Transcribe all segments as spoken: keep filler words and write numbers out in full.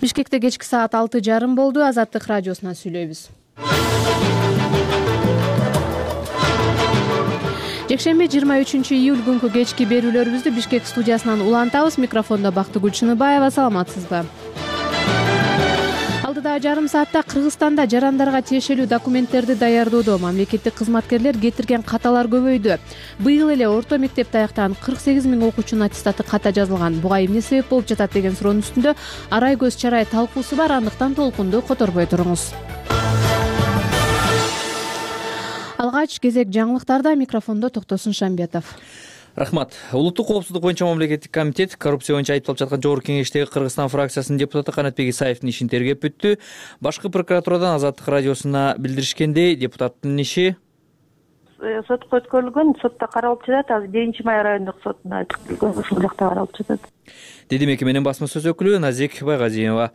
Бишкекте кечки саат алты жарым болду. Азаттык радиосунан сүйлөйбүз. Жекшемби жыйырма үчүнчү июль күнкү кечки берүүлөрүбүздү Бишкек студиясынан улантабыз. Микрофондо Бактыгүл Чыныбаева. Саламатсызбы? Алдыдагы жарым саатта Кыргызстанда жарандарга тиешелүү документтерди даярдоодо мамлекеттик кызматкерлер кетирген каталар көбөйдү. Быйыл эле орто мектепти аяктаган кырк сегиз миң окуучунун аттестаты ката жазылган. Буга эмне себеп болуп жатат деген суроонун үстүндө арай көз чарай талкуусу бар. Андыктан толкунду которбой туруңуз. Алгач кезек жаңылыктарда. Микрофондо Токтосун Шамбетов. Рахмат. Улуттук коопсуздук боюнча мамлекеттик комитет коррупция боюнча айыпталып жаткан Жогорку Кеңештеги Кыргызстан фракциясынын депутаты Канатбек Исаевдин ишин тергеп бүттү. Башкы прокуратурадан Азаттык радиосуна билдиришкендей, депутаттын иши сотко өткөрүлгөн, сотто каралып жатат. Азыр биринчи май райондук сотуна өткөрүлгөн, ушул жакта каралып жатат, деди мекеменин басма сөз өкүлү Назик Байгазиева.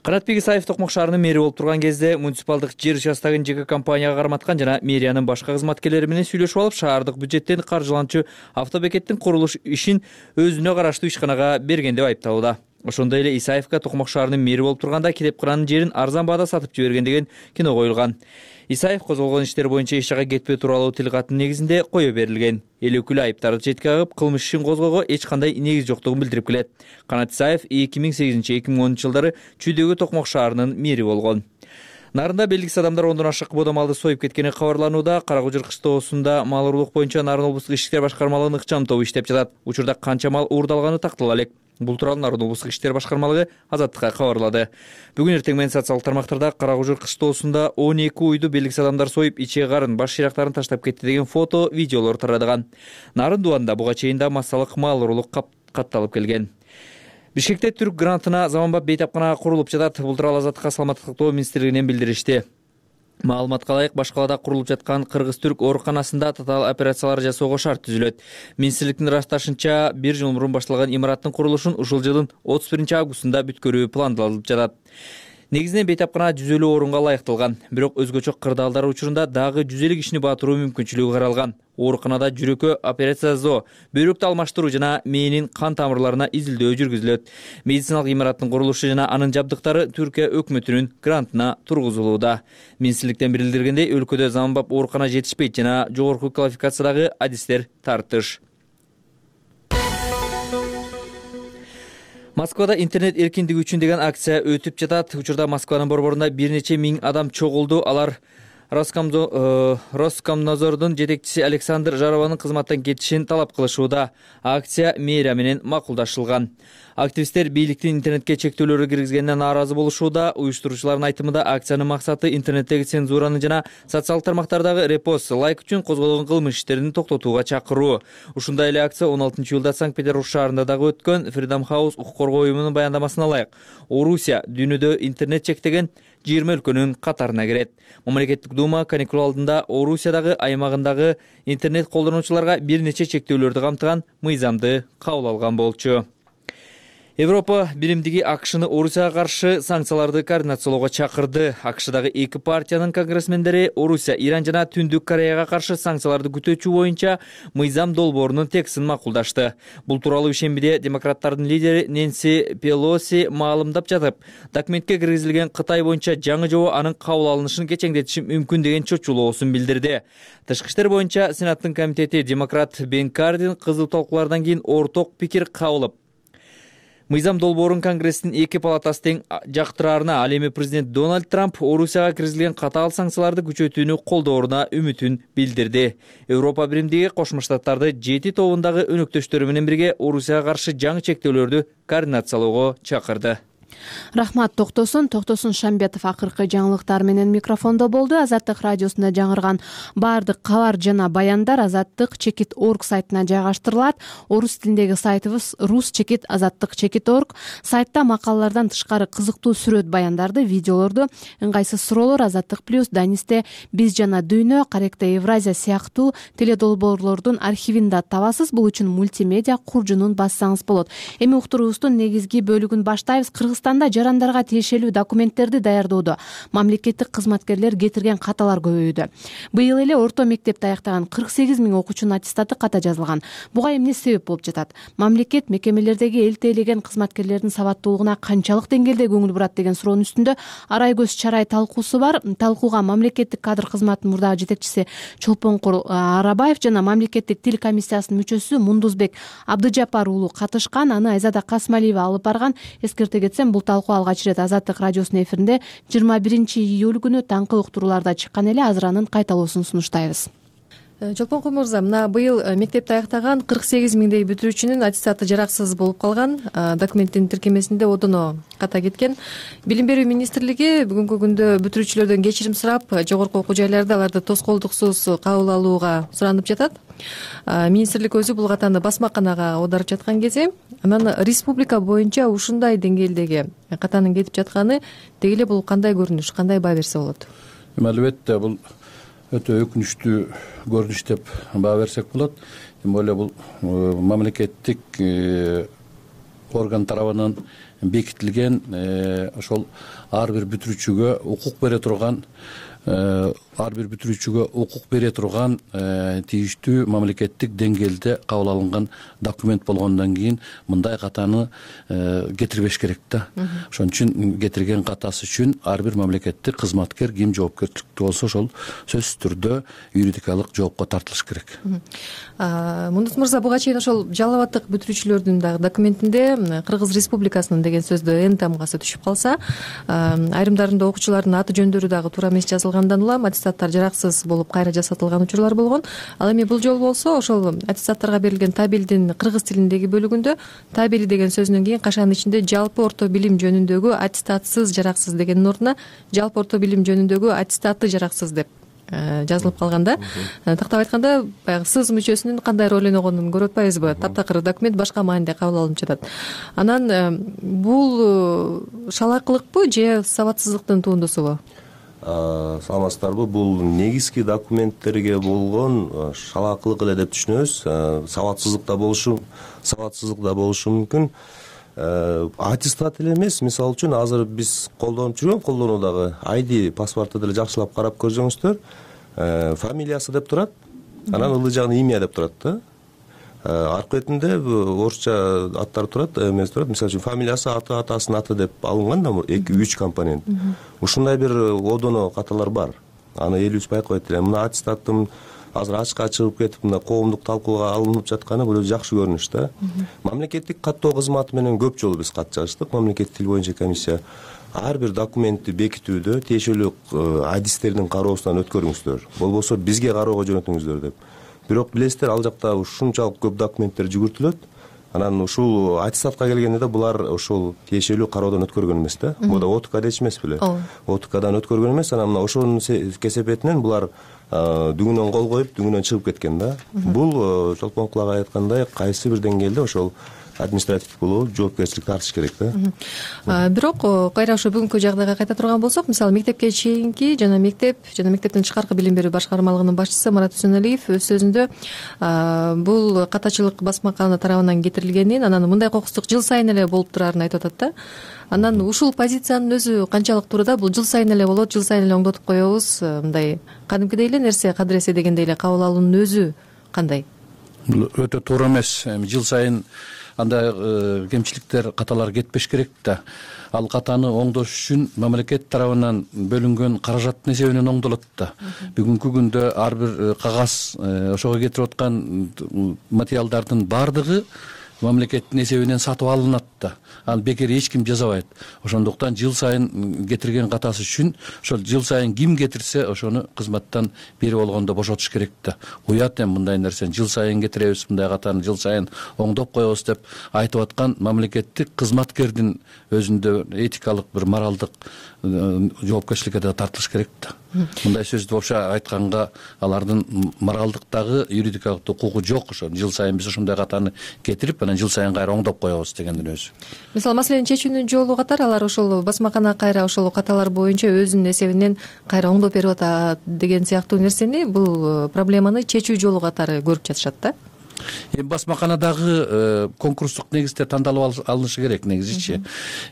Канатбек Исаев Токмок шаарынын мэри болуп турган кезде муниципалдык жер участогун ЖК компанияга карматкан жана мэриянын башка кызматкерлери менен сүйлөшүп алып, шаардык бюджеттен каржыланчу автобекеттин курулуш ишин өзүнө караштуу ишканага берген деп айыпталууда. Ошондой эле Исаевка Токмок шаарынын мэри болуп турганда Киреп кыранын жерин арзан баада сатып жиберген деген кино коюлган. Исаев козголгон иштер боюнча эч жака кетпөө тууралуу тил каттын негизинде кое берилген. Эл өкүлү айыптарды четке кагып, кылмыш ишин козгоого эч кандай негиз жоктугун билдирип келет. Канат Исаев эки миң сегизинчи эки миң онунчу жылдары Чүйдөгү Токмок шаарынын мэри болгон. Нарында белгисиз адамдар ондон ашык бода малды союп кеткени кабарланууда. Кара Кужур кыштоосунда мал уруулук боюнча Нарын облустук ички иштер башкармалыгынын ыкчам тобу иштеп жатат. Учурда канча мал уурдалганы тактала элек. Бул тууралуу Нарын облустук иштер башкармалыгы Азаттыкка кабарлады. Бүгүн эртең менен социалдык тармактарда Кара Кужур кыштоосунда он эки уйду белгисиз адамдар союп, иче карын, баш шыйрактарын таштап кетти деген фото, видеолор тарадыган. Нарын дубанда буга чейин да массалык мал уруулук катталып келген. Бишкекте Түрк грантына заманбап бейтапкана курулуп жатат. Бул тууралуу Азаттыкка Саламаттык сактоо министрлигинен билдиришти. Маалыматка ылайык, баш калаада курулуп жаткан Кыргыз-Түрк ооруканасында татаал операциялар жасоого шарт түзүлөт. Министрликтин ырасташынча, бир жыл мурун башталган имараттын курулушун ушул жылдын отуз биринчи августунда бүткөрүү пландалып жатат. Негизинен бейтапкана жүз элүү орунга ылайыкталган. Бирок өзгөчө кырдаалдар учурунда дагы жүз элүү кишини батыруу мүмкүнчүлүгү каралган. Ооруканада жүрөккө операция жасоо, бөйрөктү алмаштыруу жана мээнин кан тамырларына изилдөө жүргүзүлөт. Медициналык имараттын курулушу жана анын жабдыктары Түркия өкмөтүнүн грантына тургузулууда. Министрликтен билдирилгендей, өлкөдө заманбап оорукана жетишпейт жана жогорку квалификациядагы адистер тартыш. Москвада интернет эркиндиги үчүн деген акция өтүп жатат. Учурда Москванын борборунда бир нече миң адам чогулду. Алар Роскомнадзордун жетекчиси Александр Жарованын кызматтан кетишин талап кылышууда. Акция мэрия менен макулдашылган. Активисттер бийликтин интернетке чектөөлөрү киргизгенине нааразы болушууда. Уюштуруучулардын айтымында акциянын максаты интернеттеги цензураны жана социалдык тармактардагы репост, лайк үчүн козголгон кылмыш иштерин токтотууга чакыруу. Ушундай эле акция он алтынчы июлда Санкт-Петербург шаарында дагы өткөн. Freedom House укук коргоо уюмунун баяндамасына ылайык, Орусия дүйнөдө интернет чектеген жыйырма өлкөнүн катарына кирет. Мамлекеттик дума каникул алдында Орусиядагы аймагындагы интернет колдонуучуларга бир нече чектөөлөрдү камтыган мыйзамды кабыл алган болчу. Европа биримдиги АКШны Орусияга каршы санкцияларды координациялоого чакырды. АКШдагы эки партиянын конгрессмендери Орусия, Иран жана Түндүк Кореяга каршы санкцияларды күтүүчү боюнча мыйзам долбоорунун текстин макулдашты. Бул тууралуу ишембиде демократтардын лидери Нэнси Пелоси маалымдап жатып, документке киргизилген Кытай боюнча жаңы жобо анын кабыл алынышын кечеңдетиши мүмкүн деген чочулоосун билдирди. Тышкы иштер боюнча Сенаттын комитети демократ Бен Кардин кызуу талкуулардан кийин орток пикир кабыл мыйзам долбоорун Конгресстин эки палатасы тең жактыраарына, ал эми президент Дональд Трамп Орусияга киргизилген катаал санкцияларды күчөтүүнү колдооруна үмүтүн билдирди. Европа биримдиги Кошмо Штаттарды жети тобундагы өнөктөштөрү менен бирге Орусияга каршы жаңы чектөөлөрдү координациялоого чакырды. Рахмат Токтосун. Токтосун Шамбетов акыркы жаңылыктар менен микрофондо болду. Азаттык радиосунда жаңырган баардык кабар жана баяндар азаттык чекит орг сайтына жайгаштырылат. Орус тилиндеги сайтыбыз рус чекит азаттык чекит орг. Сайтта макалалардан тышкары кызыктуу сүрөт баяндарды, видеолорду, ыңгайсыз суроолор, Азаттык плюс, Данисте, Биз жана Дүйнө, Каректе Евразия сыяктуу теледолбоорлордун архивин да табасыз. Бул үчүн мультимедиа куржунун бассаңыз болот. Эми уктуруубуздун негизги бөлүгүн баштайбыз. Кыргыз Кыргызстанда жарандарга тиешелүү документтерди даярдоодо мамлекеттик кызматкерлер кетирген каталар көбөйдү. Быйыл эле орто мектепти аяктаган кырк сегиз миң окуучунун аттестаты ката жазылган. Буга эмне себеп болуп жатат? Мамлекет мекемелердеги эл тейлеген кызматкерлердин сабаттуулугуна канчалык деңгээлде көңүл бурат деген суроонун үстүндө арай көз чарай талкуусу бар. Талкууга мамлекеттик кадр кызматынын мурдагы жетекчиси Чолпонкур Арабаев жана мамлекеттик тил комиссиясынын мүчөсү Мундузбек Абдыжапар уулу катышкан. Аны Айзада Касмалиева алып барган. Эскерте кетсем, бул талкуу алгач ирет Азаттык радиосунун эфиринде жыйырма биринчи июль күнү таңкы уктурууларда чыккан эле. Азыр анын кайталоосун сунуштайбыз. Чолпонкур мырза, мына быйыл мектепти аяктаган кырк сегиз миңдей бүтүрүүчүнүн аттестаты жараксыз болуп калган. Документтин тиркемесинде одоно ката кеткен. Билим берүү министрлиги бүгүнкү күндө бүтүрүүчүлөрдөн кечирим сурап, жогорку окуу жайларда аларды тоскоолдуксуз кабыл алууга суранып жатат. Министрлик өзү бул катаны басмаканага оодарып жаткан кезде, анан республика боюнча ушундай деңгээлдеги катанын кетип жатканы деги эле бул кандай көрүнүш, кандай баа берсе болот? Албетте бул өтө өкүнүчтүү көрүнүш деп баа берсек болот. Тем более бул мамлекеттик орган тарабынан бекитилген, ошол ар бир бүтүрүүчүгө укук бере турган ар бир бүтүрүүчүгө укук бере турган тийиштүү мамлекеттик деңгээлде кабыл алынган документ болгондон кийин мындай катаны кетирбеш керек да. Ошон үчүн кетирген катасы үчүн ар бир мамлекеттик кызматкер ким жоопкерчиликтүү болсо ошол сөзсүз түрдө юридикалык жоопко тартылыш керек. Мундуз мырза, буга чейин ошол жалал абадтык бүтүрүүчүлөрдүн дагы документинде Кыргыз Республикасынын деген сөздө эн тамгасы түшүп калса, айрымдарында окуучулардын аты жөндөрү дагы туура эмес жазылгандан улам аттестаттар жараксыз болуп кайра жасатылган учурлар болгон. Ал эми бул жолу болсо ошол аттестаттарга берилген табелдин кыргыз тилиндеги бөлүгүндө табели деген сөзүнөн кийин кашанын ичинде жалпы орто билим жөнүндөгү аттестатсыз жараксыз дегендин ордуна жалпы орто билим жөнүндөгү аттестаты жараксыз деп жазылып калганда. Тактап айтканда, баягы сыз мүчөсүнүн кандай роль ойногонун көрүп атпайбызбы? Таптакыр документ башка мааниде кабыл алынып жатат. Анан бул шалаакылыкпы же сабатсыздыктын туындусубу? Саламатсыздарбы? Бул негизги документтерге болгон шалаакылык эле деп түшүнөбүз. Сабатсыздык да болушу, сабатсыздык да болушу мүмкүн. Аттестат эле эмес, мисалы үчүн азыр биз колдонуп жүргөн колдонуудагы ай ди паспорту деле жакшылап карап көрсөңүздөр, фамилиясы деп турат, анан ылдый жагында имя деп турат да. Аркы бетинде орусча аттар турат, эмес турат. Мисалы үчүн фамилиясы, аты, атасынын аты деп алынган да, эки үч компонент. Ушундай бир одоно каталар бар. Аны элибиз байкабайт эле. Мына аттестаттын азыр ачыкка чыгып кетип, мына коомдук талкууга алынып жатканы бул жакшы көрүнүш да. Мамлекеттик каттоо кызматы менен көп жолу биз кат жаздык. Мамлекеттик тил боюнча комиссия ар бир документти бекитүүдө тиешелүү адистердин кароосунан өткөрүңүздөр, болбосо бизге кароого жөнөтүңүздөр деп. Бирок билесиздер, ал жакта ушунчалык көп документтер жүгүртүлөт. Анан ушул аттестатка келгенде да булар ошол тиешелүү кароодон өткөргөн эмес да. Бул да о т кда эмес беле? о т кдан өткөргөн эмес. Анан мына ошонун кесепетинен булар дүгүнөн кол коюп, дүгүнөн чыгып кеткен да. Бул Чолпонкур ага айткандай, кайсы бир деңгээлде ошол административдик болобу жоопкерчилик тартыш керек да. Бирок кайра ошо бүгүнкү жагдайга кайта турган болсок, мисалы мектепке чейинки жана мектеп жана мектептин тышкаркы билим берүү башкармалыгынын башчысы Марат Үсөналиев өз сөзүндө бул катачылык басмакана тарабынан кетирилгенин, анан мындай кокустук жыл сайын эле болуп турарын айтып атат да. Анан ушул позициянын өзү канчалык туура да? Бул жыл сайын эле болот, жыл сайын эле оңдотуп коебуз, мындай кадимкидей эле нерсе, кадыресе дегендей эле кабыл алуунун өзү кандай? Бул өтө туура эмес. Жыл сайын андай кемчиликтер, каталар кетпеш керек да. Ал катаны оңдош үчүн мамлекет тарабынан бөлүнгөн каражаттын эсебинен оңдолот да. Бүгүнкү күндө ар бир кагаз, ошого кетирип аткан материалдардын баардыгы мамлекеттин эсебинен сатып алынат да. Ал бекер эч ким жасабайт. Ошондуктан жыл сайын кетирген катасы үчүн ошол жыл сайын ким кетирсе ошону кызматтан бери болгондо бошотуш керек да. Уят эми мындай нерсени жыл сайын кетиребиз, мындай катаны жыл сайын оңдоп коебуз деп айтып аткан мамлекеттик кызматкердин өзүндө этикалык бир моралдык жоопкерчиликке да тартылыш керек да. Мындай сөздү вообще айтканга алардын моралдыктагы, юридикалык укугу жок. Ошо жыл сайын биз ошондой катаны кетирип, анан жыл сайын кайра оңдоп коебуз дегендин өзү. Мисалы маселени чечүүнүн жолу катары алар ошол басмакана кайра ошол каталар боюнча өзүнүн эсебинен кайра оңдоп берип атат деген сыяктуу нерсени, бул проблеманы чечүү жолу катары көрүп жатышат да. эми басмаканадагы конкурстук негизде тандалып алынышы керек негизичи.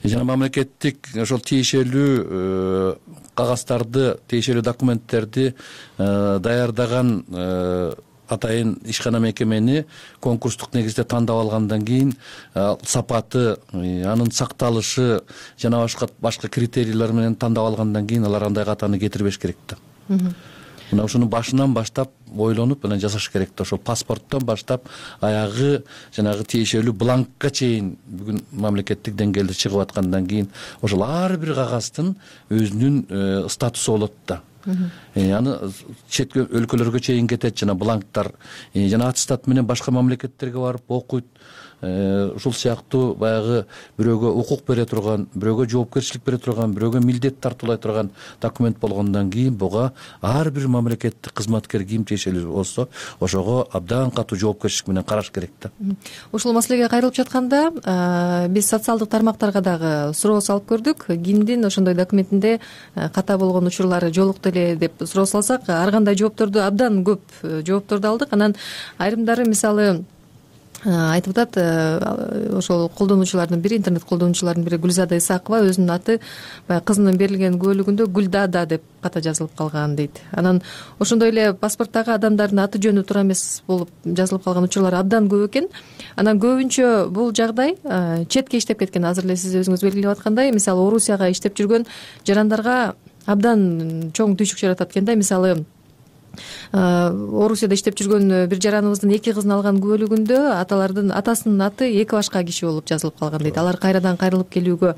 Жана мамлекеттик ошол тиешелүү кагаздарды, тиешелүү документтерди даярдаган атайын ишкана мекемени конкурстук негизде тандап алгандан кийин сапаты, анын сакталышы жана башка башка критерийлер менен тандап алгандан кийин алар андай катаны кетирбеш керек да. Мына ушуну башынан баштап ойлонуп анан жасаш керек да. Ошол паспорттон баштап аягы жанагы тиешелүү бланкка чейин бүгүн мамлекеттик деңгээлде чыгып аткандан кийин ошол ар бир кагаздын өзүнүн статусу болот да. Аны чет өлкөлөргө чейин кетет жана бланктар жана аттестат менен башка мамлекеттерге барып окуйт. Ушул сыяктуу баягы бирөөгө укук бере турган, бирөөгө жоопкерчилик бере турган, бирөөгө милдет тартуулай турган документ болгондон кийин буга ар бир мамлекеттик кызматкер ким тиешелүү болсо ошого абдан катуу жоопкерчилик менен караш керек да. Ушул маселеге кайрылып жатканда биз социалдык тармактарга дагы суроо салып көрдүк. Кимдин ошондой документинде ката болгон учурлары жолукту эле деп суроо салсак, ар кандай жоопторду абдан көп жоопторду алдык. Анан айрымдары мисалы айтып атат, ошол колдонуучулардын бири, интернет колдонуучулардын бири Гүлзада Исакова өзүнүн аты баягы кызынын берилген күбөлүгүндө Гүлдада деп ката жазылып калган дейт. Анан ошондой эле паспорттагы адамдардын аты жөнү туура эмес болуп жазылып калган учурлар абдан көп экен. Анан көбүнчө бул жагдай четке иштеп кеткен. Азыр эле сиз өзүңүз белгилеп аткандай, мисалы Орусияга иштеп жүргөн жарандарга абдан чоң түйшүк жаратат экен да. Мисалы Орусияда иштеп жүргөн бир жараныбыздын эки кызын алган күбөлүгүндө аталардын атасынын аты эки башка киши болуп жазылып калган дейт. Алар кайрадан кайрылып келүүгө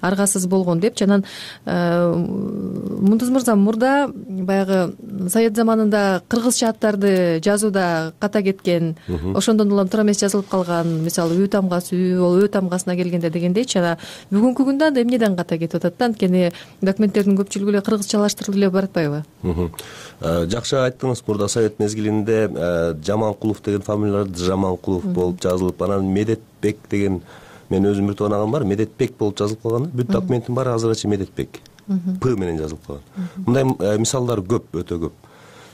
аргасыз болгон деп. Жанан Мундуз мырза, мурда баягы Совет заманында кыргызча аттарды жазууда ката кеткен, ошондон улам туура эмес жазылып калган, мисалы Үй тамгасы үй бол Ө тамгасына келгенде дегендейчи. Жана бүгүнкү күндө анда эмнеден ката кетип атат да? Анткени документтердин көпчүлүгү эле кыргызчалаштырылып эле баратпайбы? Жакшы айттыңыз. Мурда совет мезгилинде Жаманкулов деген фамилияларды Жаманкулов болуп жазылып, анан Медетбек деген, мен өзүм бир тоонагам бар, Медетбек болуп жазылып калган. Бүт документтин баары азырынча Медетбек П менен жазылып калган. Мындай мисалдар көп, өтө көп.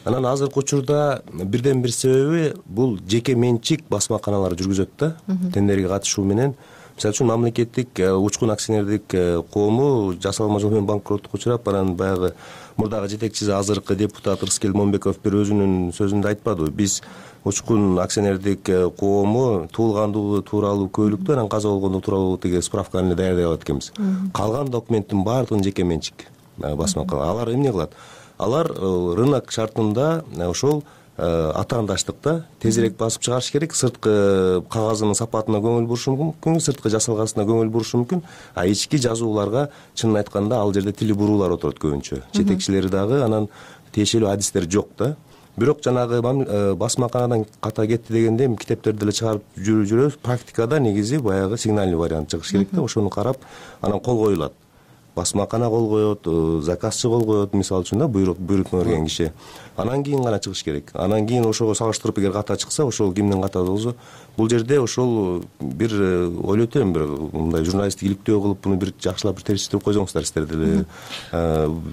Анан азыркы учурда бирден бир себеби бул жеке менчик басмаканалар жүргүзөт да, тендерге катышуу менен. Мисалы үчүн мамлекеттик учкун акционердик коому жасалма жол менен банкроттукка учурап, анан баягы мурдагы жетекчиси азыркы депутат Рыскел Момбеков бир өзүнүн сөзүндө айтпадыбы? Биз учкун акционердик коому туулгандыгы тууралуу күбөлүктү, анан каза болгондугу тууралуу тиги справканы даярдай алат экенбиз. Калган документтин баардыгын жеке менчик басмакалар. Алар эмне кылат? Алар рынок шартында ошол атаандаштыкта тезирээк басып чыгарыш керек. Сырткы кагазынын сапатына көңүл бурушу мүмкүн, сырткы жасалгасына көңүл бурушу мүмкүн. А ички жазууларга чынын айтканда ал жерде тили буруулар отурат көбүнчө. Жетекчилери дагы анан тиешелүү адистер жок да. Бирок жанагы басмаканадан ката кетти дегенде эми китептерди эле чыгарып жүрөбүз. Практикада негизи баягы сигнальный вариант чыгыш керек да. Ошону карап анан кол коюлат. Басмакана кол коет, заказчы кол коет, мисалы үчүн да, буйрутма берген киши. Анан кийин гана чыгыш керек. Анан кийин ошого салыштырып эгер ката чыкса, ошол кимдин катасы болсо, бул жерде ошол бир ойлойт элем, бир мындай журналисттик иликтөө кылып, буну бир жакшылап бир терчитип койсоңуздар сиздер деле.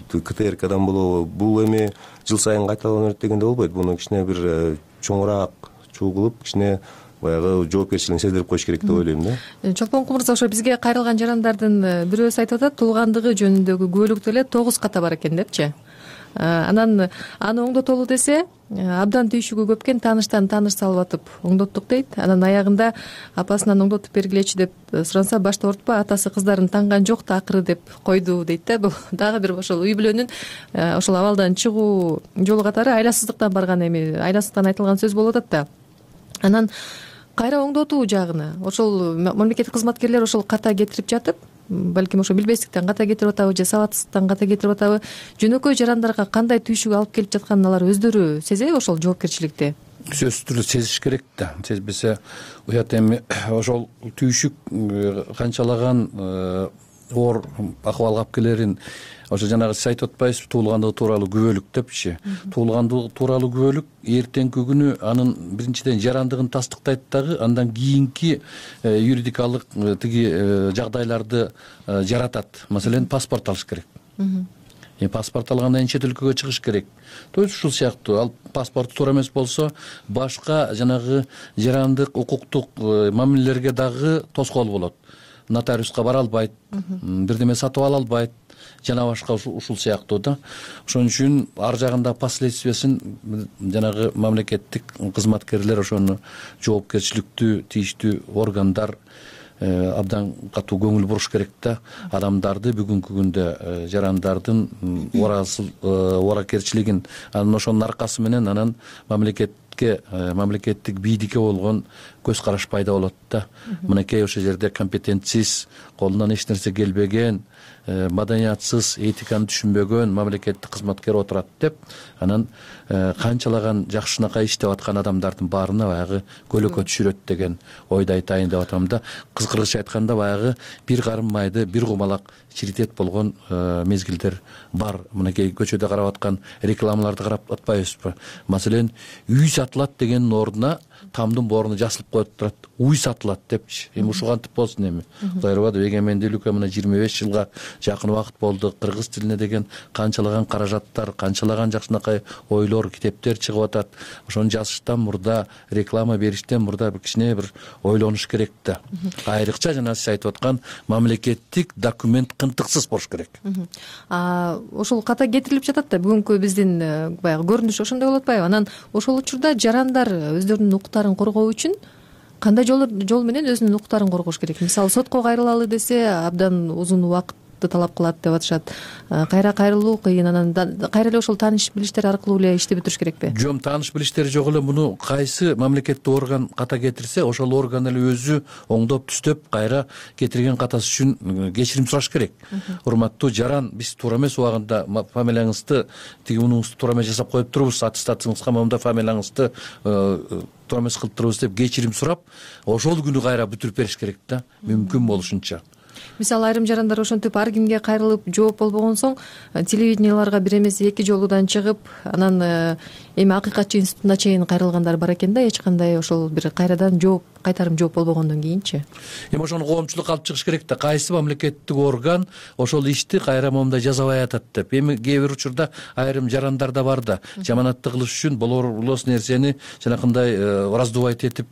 КТРКдан болобу, бул эми жыл сайын кайталана берет дегенде болбойт. Буну кичине бир чоңураак чуу кылып, кичине баягы жоопкерчилигин сездирип коюш керек деп ойлойм да. Чолпон Кумурза, ошо бизге кайрылган жарандардын бирөөсү айтып атат, туулгандыгы жөнүндөгү күбөлүктө эле тогуз ката бар экен депчи. Анан аны оңдотолу десе, абдан түйшүгү көп экен, тааныштан тааныш салып атып оңдоттук дейт. Анан аягында апасынан оңдотуп бергилечи деп суранса, башта ортпа, атасы кыздарын танган жок да акыры деп койду дейт да. Бул дагы бир ошол үй бүлөнүн ошол абалдан чыгуу жолу катары айласыздыктан барган, эми айласыздыктан айтылган сөз болуп атат да. Анан кайра оңдотуу жагына ошол мамлекеттик кызматкерлер ошол ката кетирип жатып, балким ошо билбестиктен ката кетирип атабы же сабатсыздыктан ката кетирип атабы, жөнөкөй жарандарга кандай түйшүк алып келип жатканын алар өздөрү сезеби ошол жоопкерчиликти? Сөзсүз түрдө сезиш керек да. Сезбесе уят эми ошол түйшүк канчалаган оор акыбалга алып келерин ошо жанагы сиз айтып атпайсызбы, туулгандыгы тууралуу күбөлүк депчи. Туулгандыгы тууралуу күбөлүк эртеңки күнү анын биринчиден жарандыгын тастыктайт дагы, андан кийинки юридикалык тиги жагдайларды жаратат. Маселен, паспорт алыш керек. эми паспорт алгандан кийин чет өлкөгө чыгыш керек. То есть ушул сыяктуу ал паспорту туура эмес болсо башка жанагы жарандык укуктук мамилелерге дагы тоскоол болот. Нотариуска бара албайт, бирдеме сатып ала албайт жана башка ушул сыяктуу да. Ошон үчүн ар жагында последствиясын жанагы мамлекеттик кызматкерлер ошону жоопкерчиликтүү тийиштүү органдар абдан катуу көңүл буруш керек да. Адамдарды бүгүнкү күндө жарандардын ооракерчилигин анан ошонун аркасы менен анан мамлекетке мамлекеттик бийликке болгон көз караш пайда болот да. Мынакей ошол жерде компетентсиз, колунан эч нерсе келбеген, маданиятсыз, этиканы түшүнбөгөн мамлекеттик кызматкер отурат деп анан канчалаган жакшынакай иштеп аткан адамдардын баарына баягы көлөкө түшүрөт деген ойду айтайын деп атам да. Кызкыргыча айтканда баягы бир карым майды бир кумалак чиритет болгон мезгилдер бар. Мынакей көчөдө карап аткан рекламаларды карап атпайбызбы? Маселен, үй сатылат дегендин ордуна тамдын борunu жасылып коюп турат. Уй сатылат депчи. Эми ушул кантип болсун эми? Кудай ырбады, эгемендүүлүккө мына жыйырма беш жылга жакын убакыт болду. Кыргыз тилине деген канчалаган каражаттар, канчалаган жакшынакай ойлор, китептер чыгып атат. Ошону жазыштан мурда, реклама бериштен мурда бир кичине бир ойлонуш керек да. Айрыкча жана сиз айтып аткан мамлекеттик документ кынтыксыз болуш керек. А ошол ката кетирилип жатат да бүгүнкү биздин баягы көрүнүш ошондой болуп атпайбы? Анан ошол учурда жарандар өздөрүнүн укуктарын коргоо үчүн кандай жол жол менен өзүнүн укуктарын коргош керек? Мисалы, сотко кайрылалы десе абдан узун убакытты талап кылат деп атышат. Кайра кайрылуу кыйын, анан кайра эле ошол тааныш билиштер аркылуу эле ишти бүтүрүш керекпи? Жок, тааныш билиштери жок эле. Муну кайсы мамлекеттик орган ката кетирсе, ошол орган эле өзү оңдоп түздөп кайра кетирген катасы үчүн кечирим сураш керек. Урматтуу жаран, биз туура эмес убагында фамилияңызды тиги мунуңузду туура эмес жасап коюп турбуз, аттестацияңызга момундай фамилияңызды туура эмес кылып турбуз деп кечирим сурап, ошол күнү кайра бүтүрүп бериш керек да, мүмкүн болушунча. Мисалы, айрым жарандар ошентип ар кимге кайрылып жооп болбогон соң телевиденияларга бир эмес эки жолудан чыгып, анан эми акыйкатчы институтуна чейин кайрылгандар бар экен да, эч кандай ошол бир кайрадан жооп, кайтарым жооп болбогондон кийинчи. Эми ошону коомчулук алып чыгыш керек да. Кайсы мамлекеттик орган ошол ишти кайра момундай жасабай атат деп. Эми кээ бир учурда айрым жарандар да бар да, жаманатты кылыш үчүн болор-болос нерсени жанакындай раздувать этип,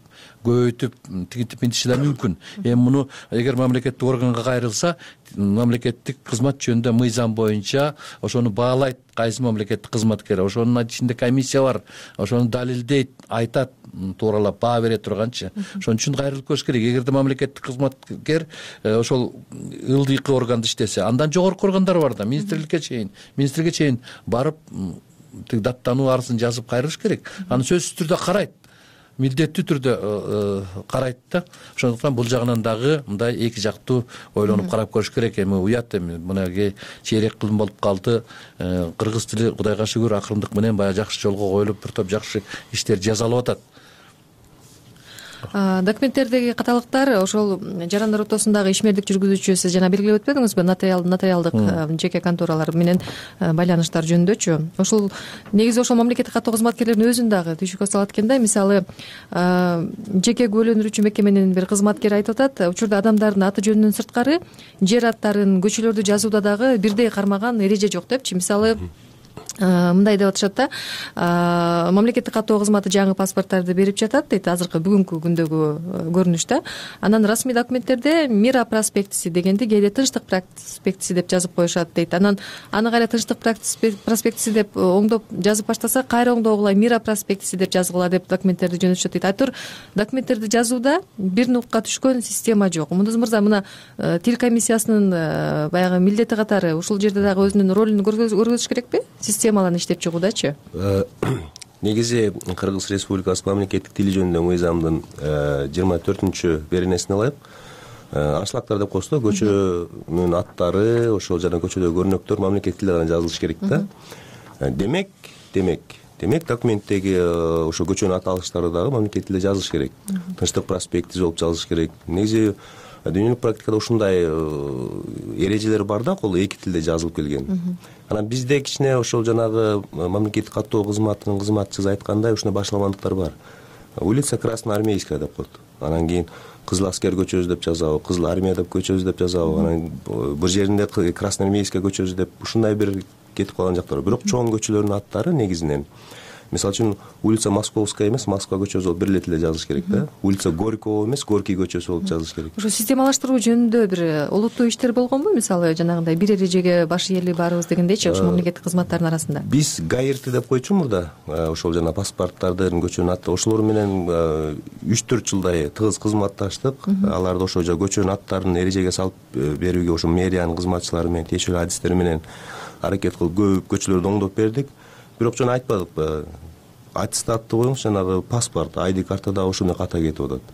көбөйтүп, тигинтип мынтиши да мүмкүн. Эми муну эгер мамлекеттик органга кайрылса, мамлекеттик кызмат жөнүндө мыйзам боюнча ошону баалайт кайсы мамлекеттик кызматкер, ошонун ичинде комиссия бар, ошону далилдейт, айтат, тууралап баа бере турганчы. Ошон үчүн кайрылып көрүш керек. Эгерде мамлекеттик кызматкер ошол ылдыйкы органда иштесе, андан жогорку органдар бар да, министрликке чейин, министрге чейин барып тиг даттануу арызын жазып кайрылыш керек. Аны сөзсүз түрдө карайт, милдеттүү түрдө карайт да. Ошондуктан бул жагынан дагы мындай эки жактуу ойлонуп карап көрүш керек. Эми уят, эми мынагей чейрек кылым болуп калды. Кыргыз тили Кудайга шүгүр акырындык менен баягы жакшы жолго коюлуп, бир топ жакшы иштер жасалып атат. Документтердеги каталыктар ошол жарандар ортосундагы ишмердик жүргүзүүчү, сиз жана белгилеп өтпөдүңүзбү, нотариалдык жеке конторалар менен байланыштар жөнүндөчү? Ошол негизи ошол мамлекеттик каттоо кызматкерлеринин өзүн дагы түйшүккө салат экен да. Мисалы, жеке күбөлөндүрүүчү мекеменин бир кызматкери айтып атат, учурда адамдардын аты жөнүнөн сырткары жер аттарын, көчөлөрдү жазууда дагы бирдей кармаган эреже жок депчи. Мисалы, мындай деп атышат да, мамлекеттик каттоо кызматы жаңы паспорттарды берип жатат дейт, азыркы бүгүнкү күндөгү көрүнүштө. Анан расмий документтерде мира проспектиси дегенди кээде тынчтык проспектиси деп жазып коюшат дейт. Анан аны кайра тынчтык проспектиси деп оңдоп жазып баштаса, кайра оңдогула мира проспектиси деп жазгыла деп документтерди жөнөтүшөт дейт. Айтор документтерди жазууда бир нукка түшкөн система жок. Мундуз мырза, мына тил комиссиясынын баягы милдети катары ушул жерде дагы өзүнүн ролун көргөзүш керекпи? Системаларын иштеп чыгуудачы? Негизи Кыргыз Республикасынын мамлекеттик тили жөнүндө мыйзамдын жыйырма төртүнчү беренесине ылайык аншлактар деп коебуз да, көчөнүн аттары, ошол жана көчөдөгү көрнөктөр мамлекеттик тилде гана жазылышы керек да. Демек, демек, демек документтеги ошо көчөнүн аталыштары дагы мамлекеттик тилде жазылыш керек. Тынчтык проспектиси болуп жазылыш керек. Негизи дүйнөлүк практикада ушундай эрежелер бар да, кол эки тилде жазылып келген. Анан бизде кичине ошол жанагы мамлекеттик каттоо кызматынын кызматчысы айткандай ушундай башаламандыктар бар. Улица Красноармейская деп коет. Анан кийин Кызыл аскер көчөбүз деп жазабы, Кызыл армия деп көчөбүз деп жазабы. Анан бир жеринде Красноармейская көчөбүз деп ушундай бир кетип калган жактар бар. Бирок чоң көчөлөрдүн аттары негизинен мисалы үчүн улица Московская эмес, Москва көчөсү болуп бир эле тилде жазыш керек да. Улица Горького эмес, Горький көчөсү болуп жазыш керек. Ошо системалаштыруу жөнүндө бир олуттуу иштер болгонбу? Мисалы жанагындай бир эрежеге баш ийели баарыбыз дегендейчи, ошо мамлекеттик кызматтардын арасында. Биз ГАИРТ деп койчу мурда, ошол жана паспорттардын көчөнүн аты, ошолор менен үч төрт жылдай тыгыз кызматташтык. Аларды ошо көчөнүн аттарын эрежеге салып берүүгө ошо мэриянын кызматчылары менен тиешелүү адистер менен аракет кылып көп көчөлөрдү оңдоп бердик. Бирок жана айтпадыкпы, аттестатты коюңуз, жанагы паспорт, ай ди карта дагы ошондой ката кетип атат.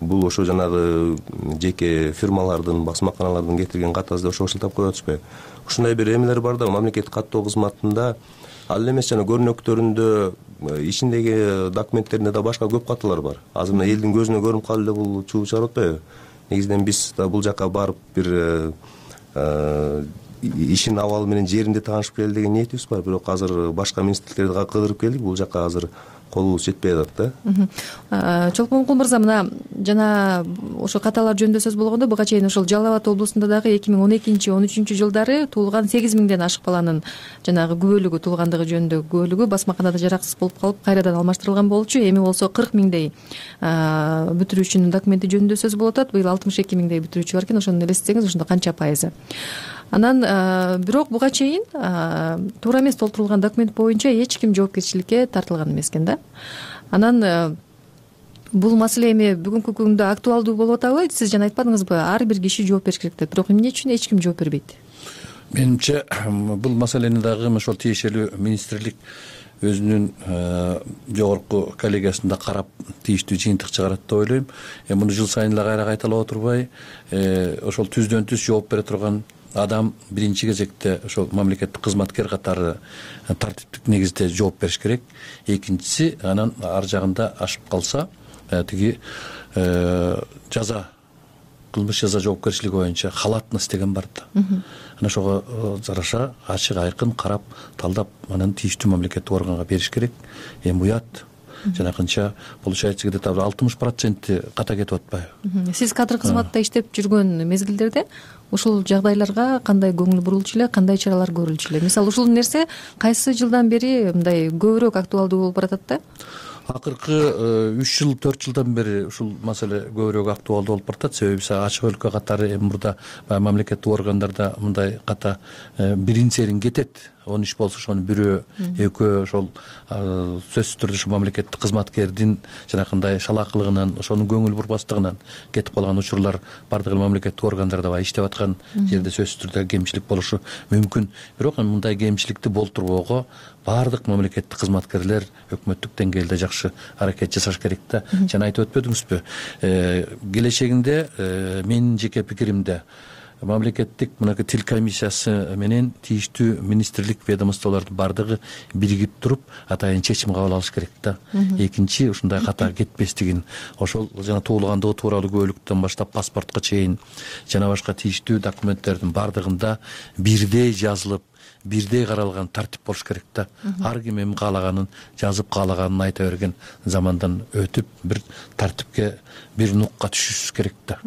Бул ошо жанагы жеке фирмалардын, басмаканалардын кетирген катасы ошо ошентип коюп атышпайбы? Ушундай бир эмелер бар да, мамлекеттик каттоо кызматында ал эле эмес, жана көрнөктөрүндө, ичиндеги документтеринде да башка көп каталар бар. Азыр мына элдин көзүнө көрүнүп калды эле бул чуу чыгарып атпайбы? Негизинен биз да бул жака барып бир ишин абалы менен жеринде таанышып келели деген ниетибиз бар. Бирок азыр башка министрликтерди кыдырып келдик, бул жака азыр колубуз жетпей атат да. Чолпонкул мырза, мына жана ошо каталар жөнүндө сөз болгондо буга чейин ошол Жалал Абад облусунда дагы эки миң он экинчи он үчүнчү жылдары туулган сегиз миңден ашык баланын жанагы күбөлүгү, туулгандыгы жөнүндө күбөлүгү басмаканада жараксыз болуп калып кайрадан алмаштырылган болчу. Эми болсо кырк миңдей бүтүрүүчүнүн документи жөнүндө сөз болуп атат. Быйыл алтымыш эки миңдей бүтүрүүчү бар экен. Ошону элестетсеңиз, ошондо канча пайызы? Анан бирок буга чейин туура эмес толтурулган документ боюнча эч ким жоопкерчиликке тартылган эмес экен да. Анан бул маселе эми бүгүнкү күндө актуалдуу болуп атабы? Сиз жана айтпадыңызбы, ар бир киши жооп бериш керек деп. Бирок эмне үчүн эч ким жооп бербейт? Менимче бул маселени дагы ошол тиешелүү министрлик өзүнүн жогорку коллегиясында карап тийиштүү жыйынтык чыгарат деп ойлойм. Эми муну жыл сайын эле кайра кайталап отурбай, ошол түздөн түз жооп бере турган адам биринчи кезекте ошол мамлекеттик кызматкер катары тартиптик негизде жооп бериш керек. Экинчиси, анан ар жагында ашып калса, тиги жаза, кылмыш жаза жоопкерчилиги боюнча халатность деген бар да. Анан ошого жараша ачык айкын карап, талдап, анан тийиштүү мамлекеттик органга бериш керек. Эми уят жанакынча получается где-то алтымыш проценти ката кетип атпайбы? Сиз кадр кызматта иштеп жүргөн мезгилдерде ушул жагдайларга кандай көңүл бурулчу эле, кандай чаралар көрүлчү эле? Мисалы, ушул нерсе кайсы жылдан бери мындай көбүрөөк актуалдуу болуп баратат да? Акыркы үч жыл, төрт жылдан бери ушул маселе көбүрөөк актуалдуу болуп баратат. Себеби ачык өлкө катары эми мурда мамлекеттик органдарда мындай ката бирин серин кетет. Он иш болсо ошонун бирөө, экөө ошол сөзсүз түрдө ушул мамлекеттик кызматкердин жанакындай шалаакылыгынан, ошонун көңүл бурбастыгынан кетип калган учурлар бардык эле мамлекеттик органдарда бар. Иштеп аткан жерде сөзсүз түрдө кемчилик болушу мүмкүн. Бирок мындай кемчиликти болтурбоого бардык мамлекеттик кызматкерлер өкмөттүк деңгээлде жакшы аракет жасаш керек да. Жана айтып өтпөдүңүзбү? Келечегинде менин жеке пикиримде мамлекеттик мынакы тил комиссиясы менен тийиштүү министрлик, ведомстволордун бардыгы биригип туруп атайын чечим кабыл алыш керек да. Экинчи, ушундай ката кетпестигин, ошол жана туулгандыгы тууралуу күбөлүктөн баштап паспортко чейин жана башка тийиштүү документтердин бардыгында бирдей жазылып, бирдей каралган тартип болуш керек да. Ар ким эми каалаганын жазып, каалаганын айта берген замандан өтүп, бир тартипке, бир нукка түшүш керек да.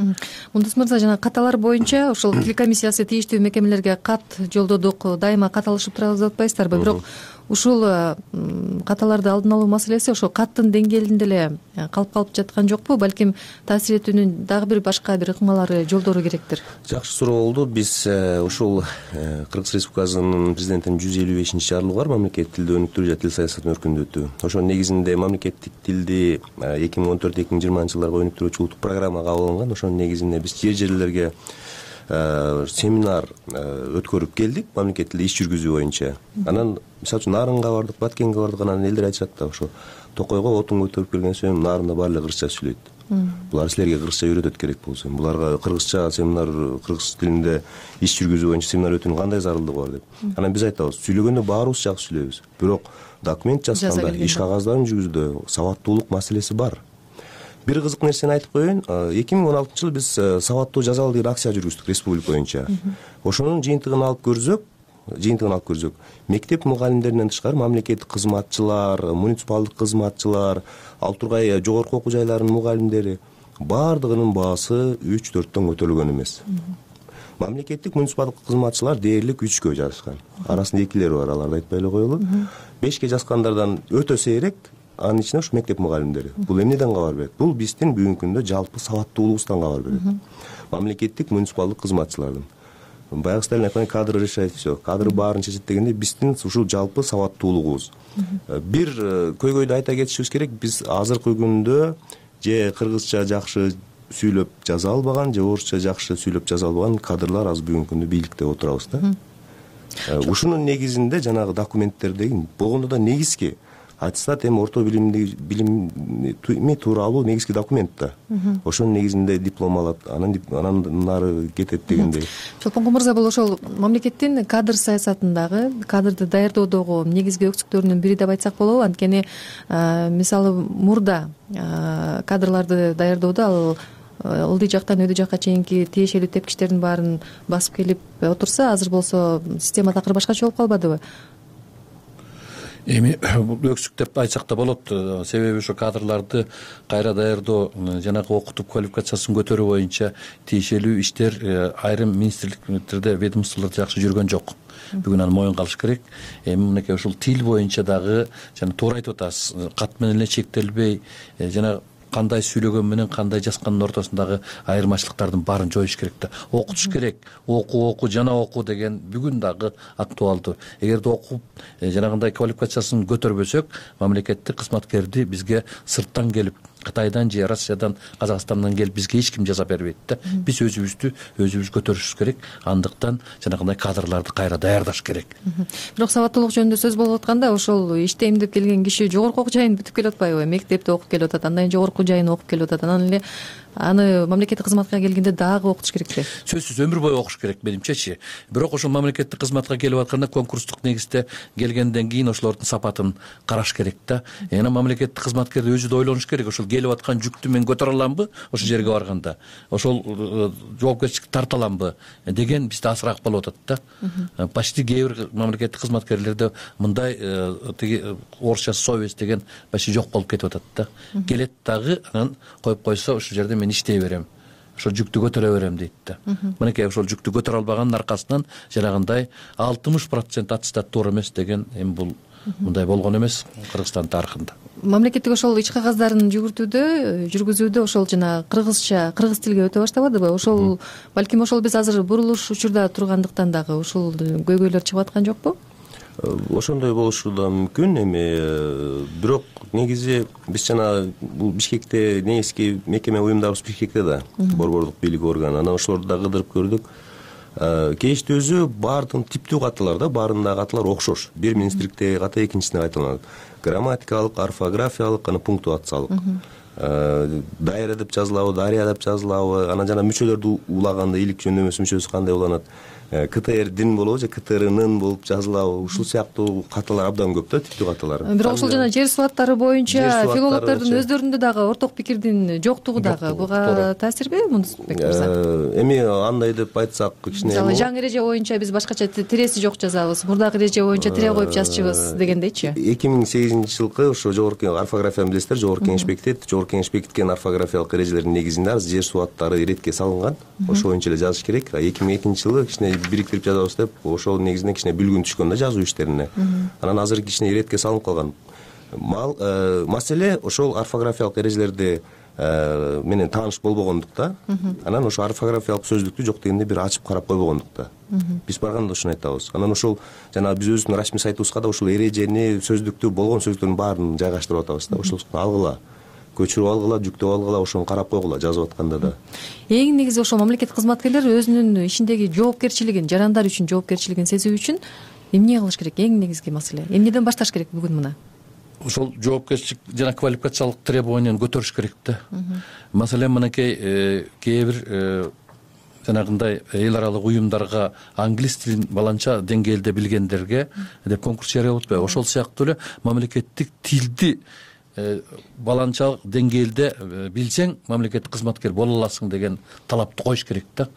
Мундус мырза, жана каталар боюнча ошол тил комиссиясы тийиштүү мекемелерге кат жолдодук, дайыма кат алышып турабыз деп атпайсыздарбы? Бирок ушул каталарды алдын алуу маселеси ошол каттын деңгээлинде эле калып калып жаткан жокпу? Балким таасир этүүнүн дагы бир башка бир ыкмалары, жолдору керектир. Жакшы суроо болду. Биз ушул Кыргыз Республикасынын президентинин жүз элүү бешинчи жарлыгы бар, мамлекеттик тилди өнүктүрүү жана тил саясатын өркүндөтүү. Ошонун негизинде мамлекеттик тилди эки миң он төрт эки миң жыйырманчы жылдарга өнүктүрүүчү улуттук программа кабыл алынган. Ошонун негизинде биз жер жерлерге семинар өткөрүп келдик, мамлекеттик тилде иш жүргүзүү боюнча. Анан мисалы үчүн Нарынга бардык, Баткенге бардык. Анан элдер айтышат да, ошо Токойго отун көтөрүп келген соң Нарында баары эле кыргызча сүйлөйт. Булар силерге кыргызча үйрөтөт керек болсо, буларга кыргызча семинар, кыргыз тилинде иш жүргүзүү боюнча семинар өтүүнүн кандай зарылдыгы бар деп. Анан биз айтабыз, сүйлөгөндө баарыбыз жакшы сүйлөйбүз. Бирок документ жазганда, иш кагаздарын жүргүзүүдө сабаттуулук маселеси бар. Бир кызык нерсени айтып коеюн. эки миң он алтынчы жылы биз сабаттуу жазалы деген акция жүргүздүк республика боюнча. Ошонун жыйынтыгын алып көрсөк, жыйынтыгын алып көрсөк, мектеп мугалимдеринен тышкары мамлекеттик кызматчылар, муниципалдык кызматчылар, ал тургай жогорку окуу жайларынын мугалимдери баардыгынын баасы үч төрттөн көтөрүлгөн эмес. мамлекеттик муниципалдык кызматчылар дээрлик үчкө жазышкан. Арасында экилери бар, аларды айтпай эле коелу. Бешке жазгандардан өтө сейрек анын ичинде ушу мектеп мугалимдери. Бул эмнеден кабар берет? Бул биздин бүгүнкү күндө жалпы сабаттуулугубуздан кабар берет. Мамлекеттик муниципалдык кызматчылардын баягы Сталин айткандай кадры решает все, кадры баарын чечет дегенде биздин ушул жалпы сабаттуулугубуз. Бир көйгөйдү айта кетишибиз керек, биз азыркы күндө же кыргызча жакшы сүйлөп жаза албаган, же орусча жакшы сүйлөп жаза албаган кадрлар азыр бүгүнкү күндө бийликте отурабыз да. Ушунун негизинде жанагы документтердеги болгондо да негизги аттестат эми орто билимди билими тууралуу негизги документ да. Ошонун негизинде диплом алат, анан анан нары кетет дегендей. Чолпонкул мырза, бул ошол мамлекеттин кадр саясатындагы, кадрды даярдоодогу негизги өксүктөрүнүн бири деп айтсак болобу. Анткени мисалы мурда кадрларды даярдоодо ал ылдый жактан өйдө жакка чейинки тиешелүү тепкичтердин баарын басып келип отурса, азыр болсо система такыр башкача болуп калбадыбы? Эми бул өксүк деп айтсак да болот. Себеби ошо кадрларды кайра даярдоо, жанагы окутуп квалификациясын көтөрүү боюнча тиешелүү иштер айрым министрликтерде, ведомстволордо жакшы жүргөн жок. Бүгүн аны моюнга алыш керек. Эми мынакей ушул тил боюнча дагы жана туура айтып атасыз, кат менен эле чектелбей, жана кандай сүйлөгөн менен кандай жазгандын ортосундагы айырмачылыктардын баарын жоюш керек да. Окутуш керек. Оку, оку, жана оку деген бүгүн дагы актуалдуу. Эгерде окуп, жанагындай квалификациясын көтөрбөсөк, мамлекеттик кызматкерди бизге сырттан келип, Кытайдан же Россиядан, Казакстандан келип бизге эч ким жаза бербейт да. Биз өзүбүздү өзүбүз көтөрүшүбүз керек. Андыктан жанагындай кадрларды кайра даярдаш керек. Бирок сабаттуулук жөнүндө сөз болуп атканда, ошол иштейм деп келген киши жогорку окуу жайын бүтүп келип атпайбы? Мектепте окуп келип атат, андан кийин жогорку жайын окуп келип атат, анан эле аны мамлекеттик кызматка келгенде дагы окутуш керекпи? Сөзсүз өмүр бою окуш керек менимчечи. Бирок ошол мамлекеттик кызматка келип атканда конкурстук негизде келгенден кийин ошолордун сапатын караш керек да. Эми мамлекеттик кызматкер өзү да ойлонуш керек. Ошол келип аткан жүктү мен көтөрө аламбы ошол жерге барганда? Ошол жоопкерчиликти тарта аламбы деген бизде азыраак болуп атат да. Почти кээ бир мамлекеттик кызматкерлерде мындай тиги орусчасы совесть деген почти жок болуп кетип атат да. Келет дагы анан коюп койсо ошол жерде мен иштей берем, ошол жүктү көтөрө берем дейт да. Мынакей ошол жүктү көтөрө албаганын аркасынан жанагындай алтымыш процент аттестат туура эмес деген эми бул мындай болгон эмес Кыргызстан тарыхында. Мамлекеттик ошол ич кагаздарын жүгүртүүдө, жүргүзүүдө ошол жана кыргызча, кыргыз тилге өтө баштабадыбы? Ошол балким ошол биз азыр бурулуш учурда тургандыктан дагы ушул көйгөйлөр чыгып аткан жокпу? Ошондой болушу да мүмкүн. Эми бирок негизи биз жана бул Бишкекте негизги мекеме уюмдарыбыз Бишкекте да, борбордук бийлик органы. Анан ошолорду да кыдырып көрдүк. Кечти өзү баардын типтүү каталар да, баарындагы каталар окшош. Бир министрликтеги ката экинчисине кайталанат. Грамматикалык, орфографиялык, анан пунктуациялык. Дайра деп жазылабы, дария деп жазылабы, анан жана мүчөлөрдү улаганда илик жөндөмөсү мүчөсү кандай уланат? КТРдин болобу же КТРнын болуп жазылабы, ушул сыяктуу каталар абдан көп да, типтүү каталар. Бирок ошол жана жер суаттары боюнча филологдордун өздөрүндө дагы орток пикирдин жоктугу дагы буга таасирби Мунусбек мырза? Эми андай деп айтсак, кичине мисалы жаңы эреже боюнча биз башкача тиреси жок жазабыз, мурдагы эреже боюнча тире коюп жазчыбыз дегендейчи. эки миң сегизинчи жылкы ошо жогорку орфографияны билесиздер, жогорку кеңеш бекитет. Жогорку кеңеш бекиткен орфографиялык эрежелердин негизинде азыр жер суаттары иретке салынган. Ошо боюнча эле жазыш керек. эки миң экинчи жылы кичине бириктирип жазабыз деп, ошол негизинен кичине бүлгүн түшкөн да жазуу иштерине. Анан азыр кичине иретке салынып калган. Маселе ошол орфографиялык эрежелерди менен тааныш болбогондукта, анан ошо орфографиялык сөздүктү жок дегенде бир ачып карап койбогондукта. Биз барганда ошону айтабыз. Анан ошол жана биз өзүбүздүн расмий сайтыбызга да ошол эрежени, сөздүктү, болгон сөздөрдүн баарын жайгаштырып атабыз да. Ошол алгыла, көчүрүп алгыла, жүктөп алгыла, ошону карап койгула жазып атканда да. Эң негизи ошол мамлекеттик кызматкерлер өзүнүн ишиндеги жоопкерчилигин, жарандар үчүн жоопкерчилигин сезүү үчүн эмне кылыш керек? Эң негизги маселе. Эмнеден башташ керек бүгүн мына? Ошол жоопкерчилик жана квалификациялык требованияны көтөрүш керек да. Маселен, мынакей кээ бир жанагындай эл аралык уюмдарга англис тилин баланча деңгээлде билгендерге деп конкурс жарыялап атпайбы? Ошол сыяктуу эле мамлекеттик тилди баланчалык деңгээлде билсең, мамлекеттик кызматкер боло аласың деген талапты коюш керек да.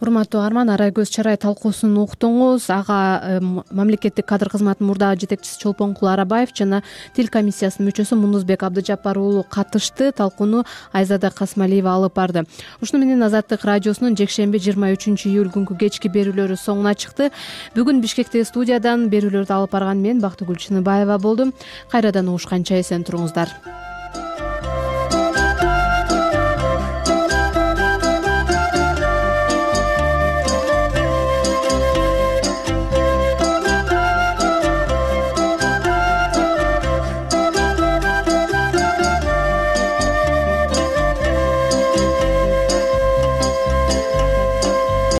урматтуу угарман, арай көз чарай талкуусун уктуңуз. Ага мамлекеттик кадр кызматынын мурдагы жетекчиси Чолпонкул Арабаев жана тил комиссиясынын мүчөсү Мундузбек Абдыжаппар уулу катышты. Талкууну Айзада Касмалиева алып барды. Ушуну менен Азаттык радиосунун жекшемби жыйырма үчүнчү июль күнкү кечки берүүлөрү соңуна чыкты. Бүгүн Бишкектеги студиядан берүүлөрдү алып барган мен Бактыгүл Чыныбаева болдум. Кайрадан угушканча эсен туруңуздар.